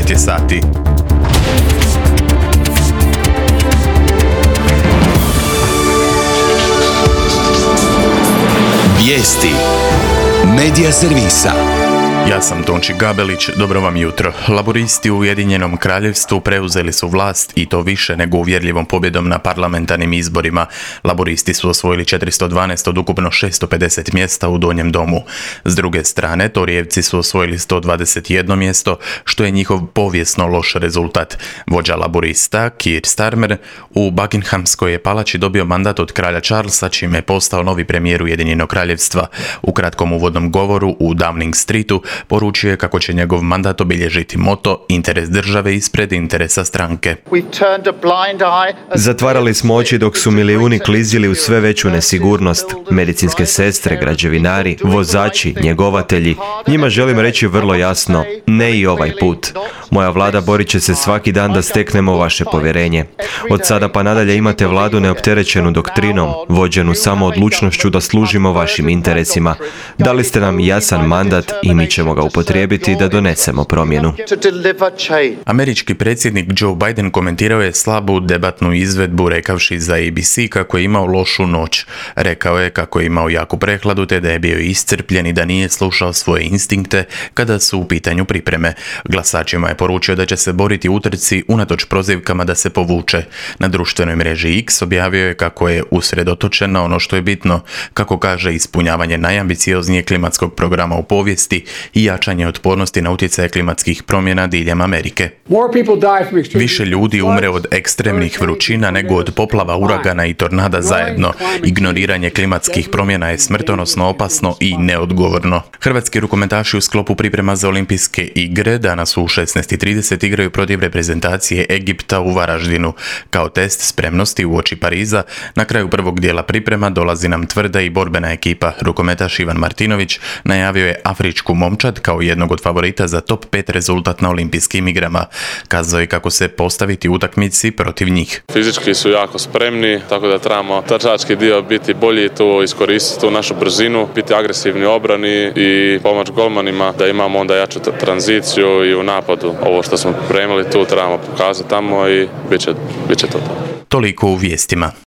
9 je sati. Vijesti Medija servisa. Ja sam Tonči Gabelić, dobro vam jutro. Laburisti u Ujedinjenom Kraljevstvu preuzeli su vlast i to više nego uvjerljivom pobjedom na parlamentarnim izborima. Laburisti su osvojili 412 od ukupno 650 mjesta u Donjem domu. S druge strane, Torijevci su osvojili 121 mjesto, što je njihov povijesno loš rezultat. Vođa laburista, Keir Starmer, u Buckinghamskoj je palači dobio mandat od kralja Charlesa, čime je postao novi premijer Ujedinjenog Kraljevstva. U kratkom uvodnom govoru u Downing Streetu poručio je kako će njegov mandat obilježiti moto interes države ispred interesa stranke. Zatvarali smo oči dok su milijuni klizili u sve veću nesigurnost. Medicinske sestre, građevinari, vozači, njegovatelji. Njima želim reći vrlo jasno, ne i ovaj put. Moja vlada borit će se svaki dan da steknemo vaše povjerenje. Od sada pa nadalje imate vladu neopterećenu doktrinom, vođenu samo odlučnošću da služimo vašim interesima. Dali ste nam jasan mandat i mi ćemo ga upotrijebiti da donesemo promjenu. Američki predsjednik Joe Biden komentirao je slabu debatnu izvedbu rekavši za ABC kako je imao lošu noć. Rekao je kako je imao jaku prehladu te da je bio iscrpljen i da nije slušao svoje instinkte kada su u pitanju pripreme. Glasačima je poručio da će se boriti u utrci unatoč prozivkama da se povuče. Na društvenoj mreži X objavio je kako je usredotočen na ono što je bitno, kako kaže ispunjavanje najambicioznijeg klimatskog programa u povijesti i jačanje otpornosti na utjecaje klimatskih promjena diljem Amerike. Više ljudi umre od ekstremnih vrućina nego od poplava, uragana i tornada zajedno. Ignoriranje klimatskih promjena je smrtonosno opasno i neodgovorno. Hrvatski rukometaši u sklopu priprema za olimpijske igre danas u 16:30 igraju protiv reprezentacije Egipta u Varaždinu. Kao test spremnosti uoči Pariza, na kraju prvog dijela priprema dolazi nam tvrda i borbena ekipa. Rukometaš Ivan Martinović najavio je afričku momčad kao jednog od favorita za top 5 rezultat na olimpijskim igrama. Kazao je kako se postaviti u utakmici protiv njih. Fizički su jako spremni, tako da trebamo trčački dio biti bolji, tu iskoristiti tu našu brzinu, biti agresivni u obrani i pomoć golmanima da imamo onda jaču tranziciju i u napadu. Ovo što smo pripremili tu trebamo pokazati tamo i bit će to. Toliko u vijestima.